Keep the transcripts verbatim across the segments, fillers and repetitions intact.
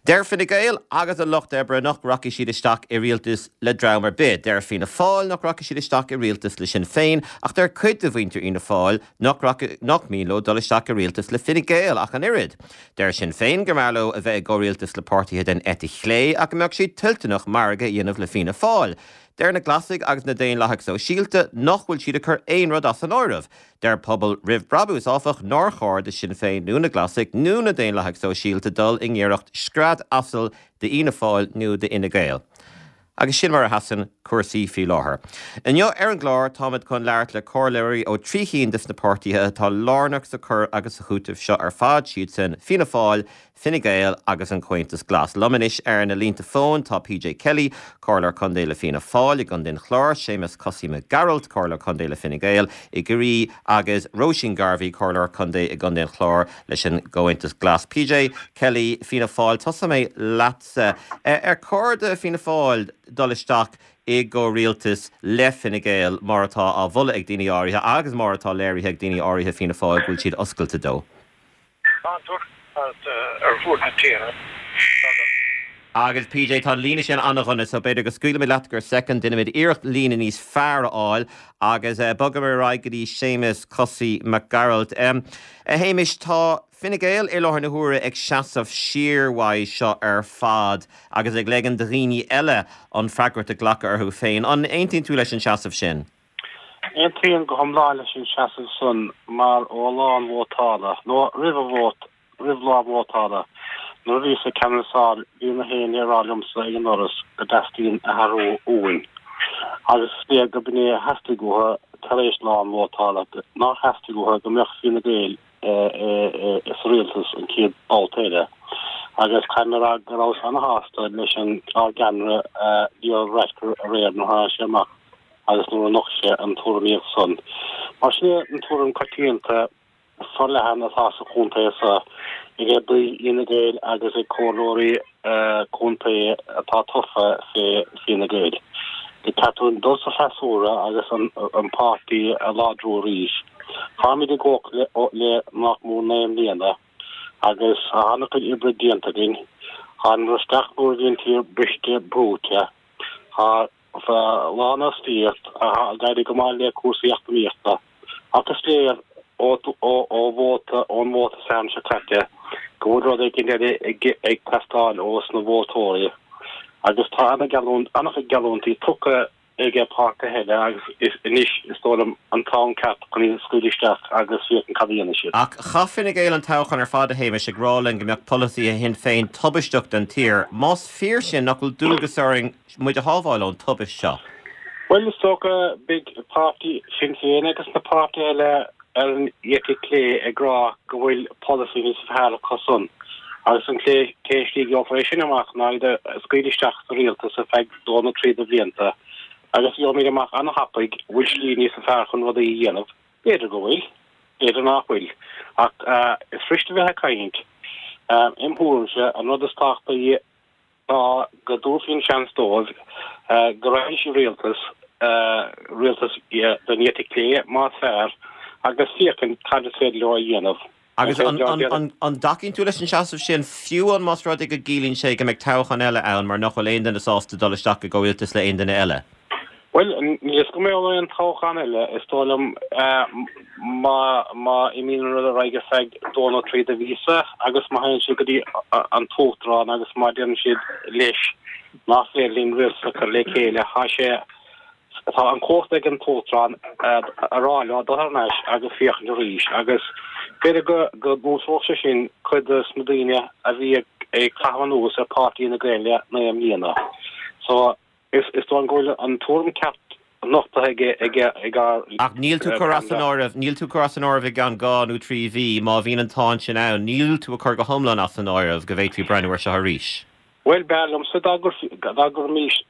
Deir Fine Gael agus an Lucht Oibre nach rachaidh siad isteach i rialtas le dream ar bith. Deir Fianna Fáil nach rachaidh siad isteach i rialtas le Sinn Féin ach deir cuid de mhuintir Fhianna Fáil nach nach mian leo dul isteach i rialtas le Fine Gael ach an oiread. Deir Sinn Féin go mb'fhearr leo a bheith i gcomhrialtas le páirtithe den eite chlé ach go mbeadh siad toilteanach margadh a dhéanamh le Fianna Fáil. Deir na Glasaigh agus na Daonlathaigh Sóisialta nach bhfuil siad ag cur aon rud as an áireamh. Deir Pobal Roimh Brabús áfach nár chóir do Sinn Féin nó na Glasaigh nó na Daonlathaigh Sóisialta dul i ngiorracht scread asail d'Fhianna Fáil nó d'Fhine Gael. Agus sin mar a sheasann cúrsaí faoi láthair. Inniu ar an gclár táimid chun labhairt le comhairleoirí ó trí cinn de na páirtithe atá lárnach sa chur agus sa chúiteamh seo ar fad siad sin Fianna Fáil, Fine Gael agus an Comhaontas Glas. Liom anois ar na línte fóin tá PJ Kelly, Comhairleoir Contae le Fianna Fáil i gContae an Chláir, Séamus Cosaí Mac Gearailt, Comhairleoir Contae le Fine Gael i gCiarraí agus Róisín Garvey, Comhairleoir Contae i gContae an Chláir leis an gComhaontas Glas. PJ Kelly Fianna Fáil tosóidh mé leatsa ar chóir do Fianna Fáil dul isteach i gcomhrialtas le Fine Gael mar atá á mholadh ag daoine áirithe agus mar atá léirithe ag daoine áirithe Fianna Fáil go bhfuil siad oscailte dó. ar fud na tíre. Agus PJ tá líne sin an-dona so b'fhéidir go scaoilfimid leat go soicind déanfaimid iarracht líne níos fearr a fháil agus uh, bogfaimid ar aghaidh go dtí Séamus Cosaí Mac Gearailt. Um, a Shéamais tá Fine Gael i láthair na huaire ag seasamh siar uaidh seo ar fad agus ag ligean do dhaoine eile an fhreagracht a ghlacadh orthu féin. An aontaíonn tú leis an seasamh sin? Aontaím go hiomlán leis an seasamh san mar ó lá an vótála nó roimh an vóta roimh lá vótála. Nuair a bhíos ag canbhasáil bhí na daoine ag rá liomsa ag an ndoras go dteastaíonn athrú uainn. Agus is léir gurb in é a theastaigh uathu tar éis lá an vótála nár theastaigh uathu go mbeadh Fine Gael sa rialtas an chéad babhta eile. Agus caithfidh mé go rabhas an-sásta leis an ár gceannaire Leo Varadkar aréir nuair sé amach agus nuair a nocht sé an tuairimíocht san. Mar sin an tuairim coitianta forleathan atá sa chontae seo ag baill Fhine Gael agus ag comhairleoirí contae atá tofa fé Fine Gael. Go gcaithfidh dul sa freasúra agus an, an páirtí a láidriú arís. Táimid ag obair le nach mór naoi mbliana agus an-chuid oibre déanta againn, Tháinig isteach nuair a bhí an tír briste brúite. Tá lánfhostaíocht ag éirí go maith le cúrsaí eacnamaíochta. Ach is léir ó vóta ón vóta san seo caite go bhfuil rud éigin eile ag teastáil ó na vótóirí. Agus tá an-chuid geallúintí tugtha ag páirtithe eile agus is anois is dóigh liom an t-am ceart chun iad a scaoileadh isteach agus féachaint cad a dhéanfaidh siad. Ach chaith Fine Gael an toghchán ar fad a Shéamais ag rá linn go mbeadh polasaithe Shinn Féin tubaisteach don tír. Más fíor sin nach bhfuil dualgas orainn muid a shábháil ón tubaiste seo. Well is dócha beidh páirtí Sinn Féin agus na páirtithe eile ar an eite chlé ag rá go bhfuil polasaí níos fearr acu san. Agus an clé slí gheofar é sin amach ná iad a scaoileadh isteach sa rialtas ar feadh dó nó trí de bhlianta. Agus gheobhaimid amach an-tapaidh bhfuil slí níos fearr chun rudaí a dhéanamh. B'fhéidir go bhfuil, b'fhéidir nach bhfuil. Ach uh, is fuirist a bheith ag caint. Um, Im thuairimse an rud is tábhachtaí ná go dtabharfaí an seans dóibh uh, go raibh sí rialtas uh, rialtas den eite chlé más fearr agus féachaint cad is féidir leo a dhéanamh. Agus an dtacaíonn tú leis an seasamh sin fiú an más rud é go gciallaíonn sé go mbeidh toghchán eile ann mar nach bhfuil aon duine sásta dul isteach i gcomhrialtas le aon duine eile. Well níos go mbeidh aon toghchán eile is dóigh liom má má imíonn rud ar aghaidh feadh dó nó trí de mhíosa agus má théann siad go dtí an t-uachtarán agus má deireann siad leis nach féidir linn rialtas a chur le chéile tá sé tá an chumhacht ag an t-uachtarán a rá leo dul thar n-ais agus féachaint arís agus b'fhéidir go go gcúiteodh sé sin cuid de na daoine a bhí ag caitheamh anuas ar pháirtí Fhine Gael le naoi mbliana. So is is dóigh go bhfuil an tuairim ceart nochtaithe aige aige ag Ach níl tú cur as an áireamh, níl tú cur as an áireamh i gceann dhá nó trí mhí má bhíonn an t-am sin ann, níl tú a chur go hiomlán as an áireamh go bhféadfaí breathnú air seo arís. Well b'fhearr liomsa dá gcuirfí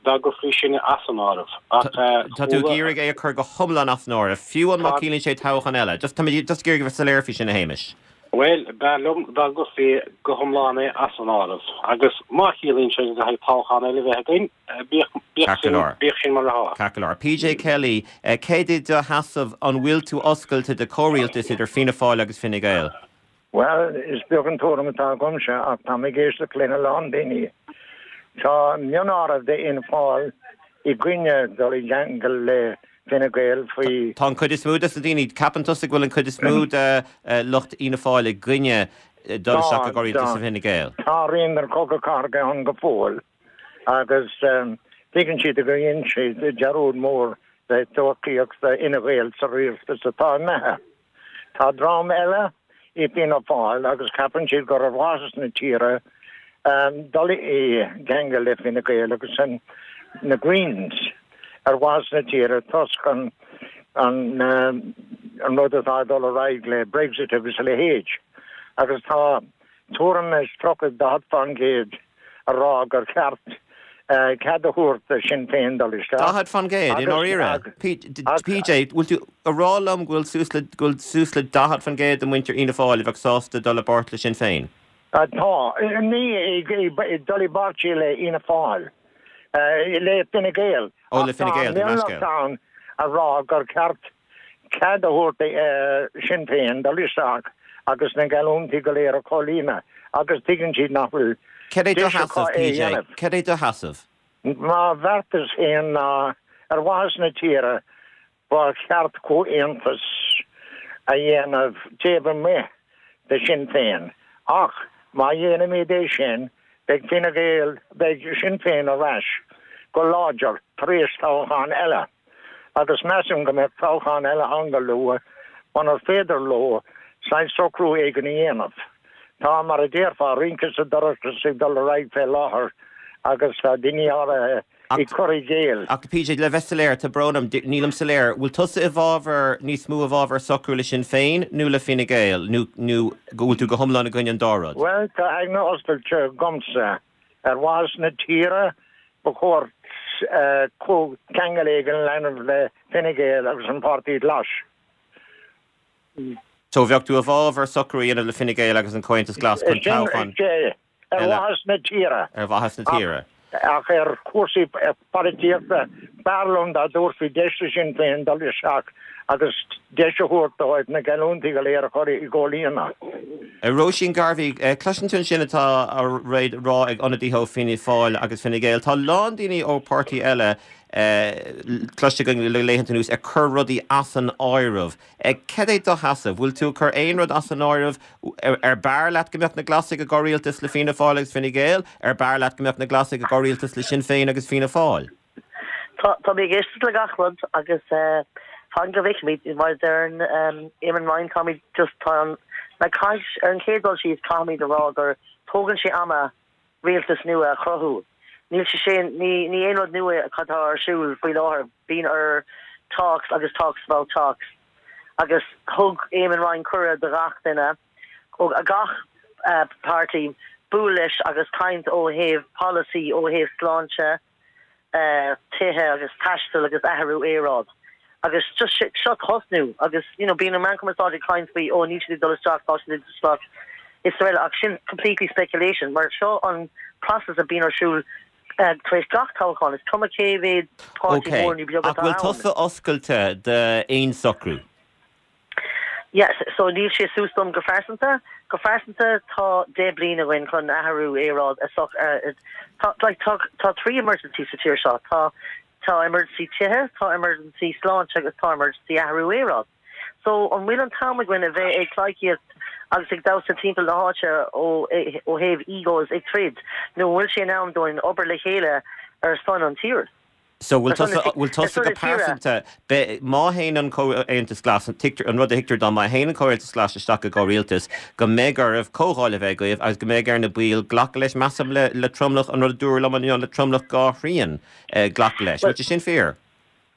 dá gcuirfí sin as an áireamh ach Tá tú ag iarraidh é a chur go hiomlán as an áireamh, fiú an má chiallaíonn sé toghchán eile. Just tá just ag iarraidh bheith soiléir faoi sin a Shéamais. Well b'fhearr liom dá gcuirfí go hiomlán é as an áireamh agus má chiallaíonn sé go gcaithfidh toghchán eile bheith againn bíodh sin mar atá. Ceart go leor. PJ Kelly, céard é do sheasamh an bhfuil tú oscailte de comhrialtas idir Fianna Fáil agus Fine Gael? Bhuel, is beag an tuairim atá agamsa ach tá mé ag éisteacht lena lán daoine. Tá mionáireamh de Fhianna Fáil i gcoinne dul i gceangal le Fine Gael faoi. Tá an chuid is mó de na daoine, ceapann tusa go bhfuil an chuid is mó de lucht Fhianna Fáil i gcoinne dul isteach i gcomhrialtas le Fine Gael? Tá rian den Chogadh Cathartha ann go fóill agus tuigeann siad gur dhein siad dearúd mór le tacaíocht Fhine Gael sa rialtas atá imithe. Tá dream eile i bhFianna Fáil agus ceapann siad gur ar mhaitheas na tíre dul i gceangal le Fine Gael agus sin na Greens ar mhaitheas na tíre toisc an an an rud atá ag dul ar aghaidh le Brexit agus a leithéid. Agus tá tuairim is tríocha daichead faoin gcéad a rá gur cheart cead a thabhairt do Shinn Féin dul isteach. Daichead faoin gcéad, i ndáiríre? PJ, bhfuil tú a rá liom go bhfuil suas le go bhfuil suas le daichead faoin gcéad de mhuintir Fhianna Fáil a bheadh sásta dul i bpáirt le Sinn Féin? Tá. Ní dul i bpáirt le Fhianna Fáil, le Fine Gael. Ó, le Fine Gael, tá mionlach ann a rá gur ceart cead a thabhairt do Shinn Féin dul isteach agus na geallúintí go léir a chomhlíonadh agus tuigeann siad nach bhfuil Cad é do sheasamh, PJ? Cad é do sheasamh? Mo bheartas féin ná ar mhaitheas na tíre ba cheart comhaontas a dhéanamh taobh amuigh de Shinn Féin. Ach má dhéanaimid é sin, beidh Fine Gael, beidh Sinn Féin ar ais go láidir tar éis toghchán eile. Agus measaim go mbeidh toghchán eile ann go luath munar féidir leo saghas socrú éigin a dhéanamh. Tá, mar a déarfá, rince sa dorchadas ag dul ar aghaidh fé láthair agus tá daoine áirithe ag cur i gcéill. Ach PJ, le bheith soiléir, tá brón orm, nílim soiléir, bhfuil tusa i bhfabhar, níos mó i bhfabhar socrú le Sinn Féin nó le Fine Gael nó nó go bhfuil tú go hiomlán i gcoinne an dá rud? Bhuel, tá aigne oscailte agamsa. Ar mhaitheas na tíre, ba chóir comhcheangal éigin a dhéanamh le Fine Gael agus an Páirtí Glas. So bheadh tú i bhfabhar socrú a dhéanamh le Fine Gael agus an Comhaontas Glas chun toghchán eile. Ar mhaitheas na tíre. Ar mhaitheas na tíre. Ach ar chúrsaí polaitíochta, b'fhearr liom dá dtabharfaí deis do Shinn Féin dul isteach agus deis a thabhairt dóibh na geallúintí go léir a chur i gcomhlíonadh. Róisín Garvey, cloiseann tú ansin atá á rá ag ionadaithe ó Fianna Fáil agus Fine Gael. Tá a lán daoine ó páirtí eile cloiste againn le laethanta anuas ag cur rudaí as an áireamh. Cad é do sheasamh? Bhfuil tú ag cur aon rud as an áireamh? Ar b'fhearr leat go mbeadh na Glasaigh i gcomhrialtas le Fianna Fáil agus Fine Gael? Ar b'fhearr leat go mbeadh na Glasaigh i gcomhrialtas le Sinn Féin agus Fianna Fáil? Tá tá mé ag éisteacht le gach rud agus fan go bhfeicfimid, mar a deir Eamon Ryan, táimid just tá an like caithfidh ar an chéad dul síos caithfimid a rá gur tógann sé ama rialtas nua a chruthú. Níl sé sin, ní ní aon rud nua atá ar siúl faoi láthair. Bíonn ar talks agus talks about talks. Agus thug Eamon Ryan cuireadh do gach duine, ó gach páirtí, bualadh leis agus caint ó thaobh polasaí, ó thaobh sláinte, tithe agus taisteal agus athrú aeráid. Agus just seo tosnú agus you know bíonn an meán cumarsáide ag caint faoi oh níl siad ag dul isteach, tá siad ag dul isteach is araile ach sin completely speculation mar seo an process a bíonn ar siúl tar éis gach toghchán, is cuma cé mhéad páirtí mór nó beag atá ann. Ach bhfuil tusa oscailte d'aon socrú? Yes, so níl sé suas dom go phearsanta. Go phearsanta tá deich bliain againn chun athrú aeráid a soc tá like tá tá trí emergency sa tír seo. Tá tá emergency tithe, tá emergency sláinte agus tá emergency athrú aeráid. So an bhfuil an t-am againn a bheith ag pleidhcíocht agus ag damhsa timpeall na háite ó ó thaobh egos ag troid nó an bhfuil sé in am dúinn obair le chéile ar son an tír? So bhfuil tusa, bhfuil tusa go pearsanta, má théann an Comhaontas Glas, tuigtear, an rud a thuigtear dom, má théann an Comhaontas Glas isteach i gcomhrialtas, go mbeidh oraibh comhdháil a bheith agaibh agus go mbeidh ar na baill glacadh leis, measaim, le, le tromlach, an rud a dúradh liom inniu, le tromlach dhá thrian glacadh leis. Bhfuil sé sin fíor?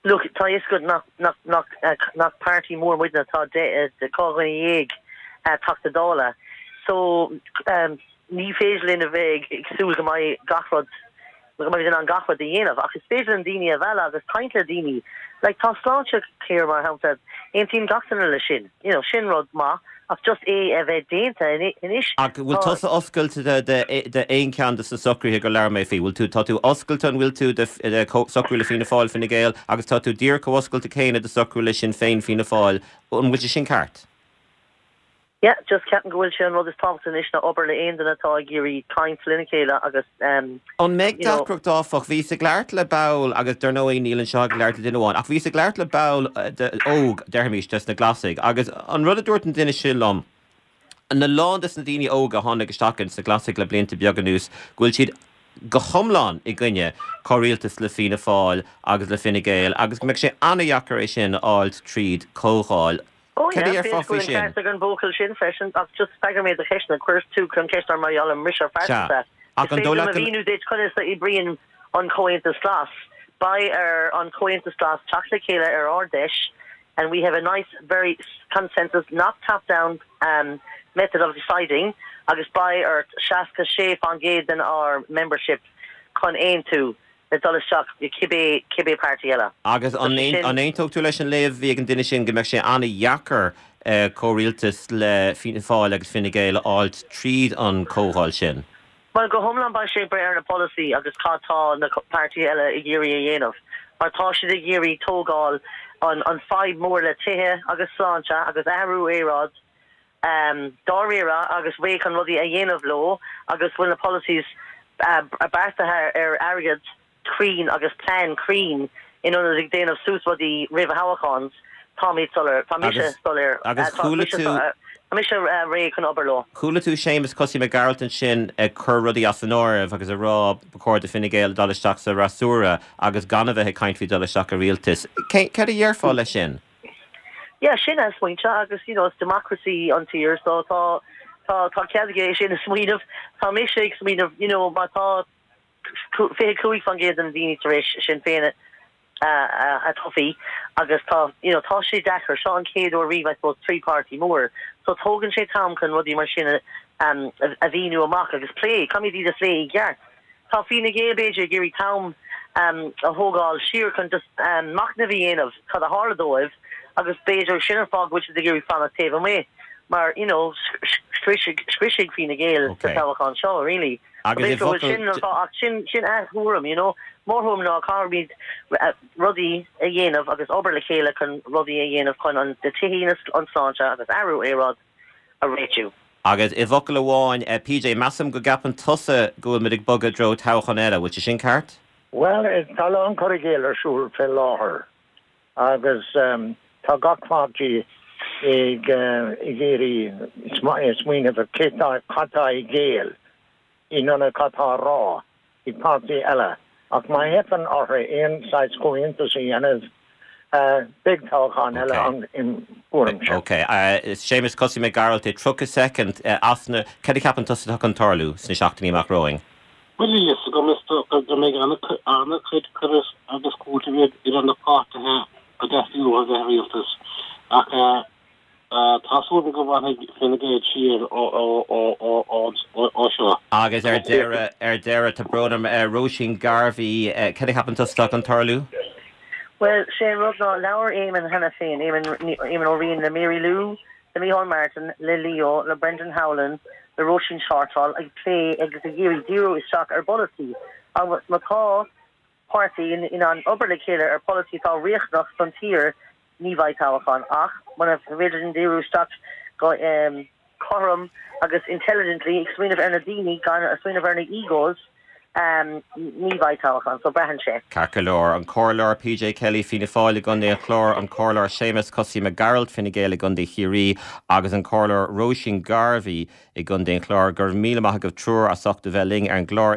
Look, tá a fhios agat nach, nach, nach, nach páirtí mór muidne, tá deich, dhá dhuine dhéag Teachta Dála. So, ní féidir linn a bheith ag súil go mbeidh gach rud, go mbeimid in ann gach rud a dhéanamh, ach is féidir linn daoine a mhealladh agus caint le daoine. Like, tá Sláintecare, mar shampla, aontaíonn gach duine leis sin. You know, sin rud maith, ach just é a bheith déanta anois. Ach bhfuil tusa oscailte d'aon cheann de na socruithe gur labhair mé faoi? Bhfuil tú, tá tú oscailte, an bhfuil tú, de socrú le Fianna Fáil, Fine Gael agus tá tú díreach chomh oscailte céanna de socrú le Sinn Féin, Fianna Fáil. An bhfuil sé sin ceart? Yeah, just ceapaim go bhfuil sé an rud is tábhachtaí anois ná obair le aon duine atá ag iarraidh caint lena chéile agus um, An mbeidh deacracht áfach bhíos ag labhairt le ball agus dar ndóigh níl anseo ag labhairt le duine amháin, ach bhíos ag labhairt le ball óg deirfimis des na Glasaigh, agus an rud a dúirt an duine sin liom, a lán des na daoine óga a tháinig isteach sna Glasaigh le blianta beaga anuas go bhfuil siad go hiomlán i gcoinne comhrialtas le Fianna Fáil agus le Fine Gael agus go mbeidh sé an-deacair é sin a fháil tríd comhdháil. Oh yeah, faoi sin an buachaill sin freisin ach just freagar mé do cheist chuir tú chun ceist ar mar gheall ar mise fearsa. Ach an dóigh leat míniú duit conas a oibríonn an Comhaontas Glas. Beidh ar an Comhaontas Glas teacht le chéile ar Ard-Fheis and we have a nice very consensus not top down um, method of deciding agus beidh ar seasca sé faoin gcéad den ár membership chun aontú le dul isteach i cibé cibé páirtí eile. Agus an aontódh tú leis an léamh a bhí ag an duine sin go mbeidh sé an-deacair uh, comhrialtas le Fianna Fáil agus Fine Gael a fháil tríd an comhdháil sin. Well go hiomlán beidh sé ag brath ar na policy agus cad tá na páirtí eile ag iarraidh a dhéanamh. Mar tá siad ag iarraidh tógáil an an fadhb mór le tithe agus sláinte agus athrú aeráide um, dáiríre agus réidh chun rudaí a dhéanamh leo agus bhfuil na policies uh, beartaithe ar airgead cruinn agus plean cruinn in ionad ag déanamh suas rudaí roimh thoghcháin tá mé soiléir tá mise soiléir agus chuala tú Tá mise réidh chun obair leo. Chuala tú Séamus Cosaí Mac Gearailt ansin ag cur rudaí as an áireamh agus ag rá ba chóir do Fine Gael dul isteach sa fhreasúra agus gan a bheith ag caint faoi dul isteach i rialtas. Cad a déarfá leis sin? Yeah, sin é smaointe agus you know, it's democracy an tír so tá tá tá cead aige sin a smaoineamh tá mise ag smaoineamh you know, má tá fiche cúig faoin gcéad den daoine tar éis Sinn Féin a toghadh agus tá you know, tá sé deacair seo an chéad uair riamh I suppose trí páirtí mór so tógann sé t-am chun rudaí mar sin um, a mhíniú amach agus plé caithfimid iad a phlé i gceart Tá Fine Gael b'fhéidir ag iarraidh t-am um, a thógáil siar chun just um, machnamh a dhéanamh cad a tharla dóibh agus b'fhéidir sin an fáth go bhfuil siad ag iarraidh fanacht taobh amuigh mar you know scriosfaidh Fine Gael sa toghchán seo really. Agus sin sin sin a thuairim you know mo thuairim ná caithfimid rudaí a dhéanamh agus obair le chéile chun rudaí a dhéanamh chun an de tithíocht an sláinte agus athrú aeráide a réitiú. Agus i bhfocal amháin eh, PJ measaim go gceapann tusa go bhfuil muid ag bogadh i dtreo toghchán eile, bhfuil sé sin ceart? Well tá an cur i gcéill ar siúl fé láthair agus um, tá gach páirtí ag uh, ag iarraidh smaoineamh cad tá i gcéill in ionad cad tá á rá ag páirtí eile. Ach má theipeann orthu aon saghas comhaontas a dhéanamh beidh toghchán eile ann im thuairimse. Ok, Séamus Cosaí Mac Gearailt tríocha soicind asna cad a cheapann tusa atá chun tarlú sna seachtainí amach romhainn. Well is go go mbeidh an-chuid cur agus cúiteamh idir na páirtithe a dteastaíonn uathu bheith rialtas ach tá súil go bhfanfaidh Fine Gael siar ó seo. Agus ar deireadh ar deireadh tá brón orm Róisín Garvey cad a cheapann tusa atá chun tarlú? Well sé rud ná labhair Eamon cheana féin Eamon Ó Riain le Mary Lou, le Micheál Martin, le Leo, le Brendan Howlin, le Róisín Shortall ag plé agus ag iarraidh díriú isteach ar pholasaí. Agus má tá páirtí in, in an obair le chéile ar pholasaí atá riachtanach don tír ní bheidh toghchán ach muna bhféidir díriú isteach go um, cothrom agus intelligently ag smaoineamh ar na daoine gan a smaoineamh ar na egos um, ní bheidh toghchán so braitheann sé. Ceart go leor an Comhairleoir PJ Kelly Fianna Fáil i gContae an Chláir an Comhairleoir Séamus Cosaí Mac Gearailt Fine Gael i gContae Chiarraí agus an Comhairleoir Róisín Garvey i gContae an Chláir gur míle maith agaibh triúr as ucht a bheith linn ar an gclár.